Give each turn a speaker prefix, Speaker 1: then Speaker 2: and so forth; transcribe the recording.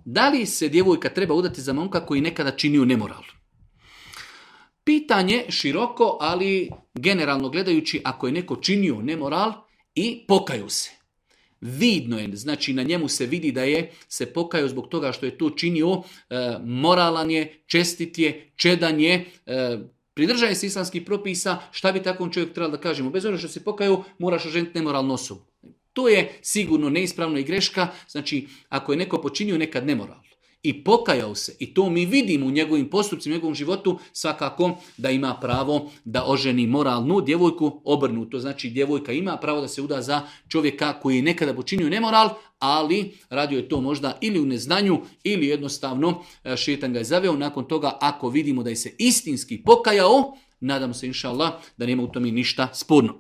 Speaker 1: Da li se djevojka treba udati za momka koji nekada činio nemoral? Pitanje široko, ali generalno gledajući, ako je neko činio nemoral i pokaju se. Vidno je, znači na njemu se vidi da je se pokajao zbog toga što je to činio, moralan je, čestit je, čedan je, pridržaje se islamskih propisa, šta bi takvom čovjek trebalo da kažemo? Bez obzira što se pokajao, moraš oženiti nemoralnu osobu. To je sigurno neispravno i greška, znači ako je neko počinio nekad nemoral i pokajao se, i to mi vidimo u njegovim postupcima, u njegovom životu, svakako da ima pravo da oženi moralnu djevojku, obrnuto. Znači djevojka ima pravo da se uda za čovjeka koji je nekada počinio nemoral, ali radio je to možda ili u neznanju ili jednostavno šejtan ga je zaveo. Nakon toga ako vidimo da je se istinski pokajao, nadamo se inša Allah da nema u tome ništa sporno.